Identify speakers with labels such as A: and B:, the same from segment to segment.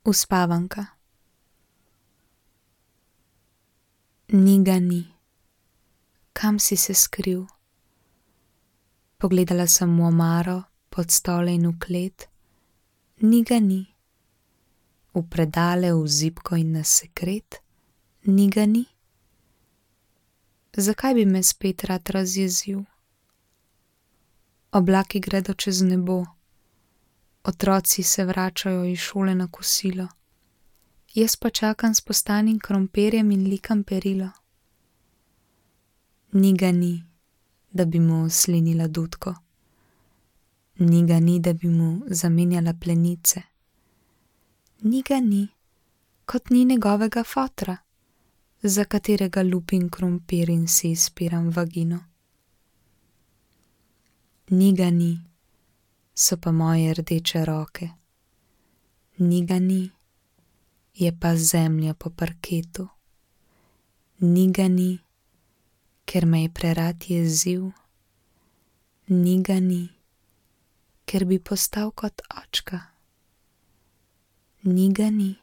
A: Uspavanka. Ni ga ni. Kam si se skril? Pogledala sem v omaro, pod stole in v klet. Ni ga ni. V predale, v zibko in na sekret. Ni ga ni. Zakaj bi me spet rad razjezil? Oblaki gredo čez nebo. Otroci se vračajo iz šole na kosilo. Jaz pa čakam s postanim krompirjem in likam perilo. Ni ga ni, da bi mu slinila dutko. Ni ga ni, da bi mu zamenjala plenice. Ni ga ni, kot ni njegovega fotra, za katerega lupim krompir in si izpiram vagino. Ni ga ni, so pa moje rdeče roke. Ni ga ni, je pa zemlja po parketu. Ni ga ni, ker me je prerad jezil. Ni ga ni, ker bi postal kot očka. Ni ga ni,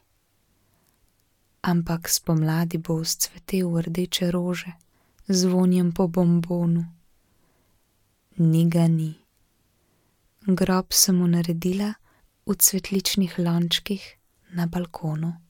A: ampak spomladi bo vzcvetel v rdeče rože z vonjem po bombonu. Ni ga ni. Grob sem mu naredila v cvetličnih lončkih na balkonu.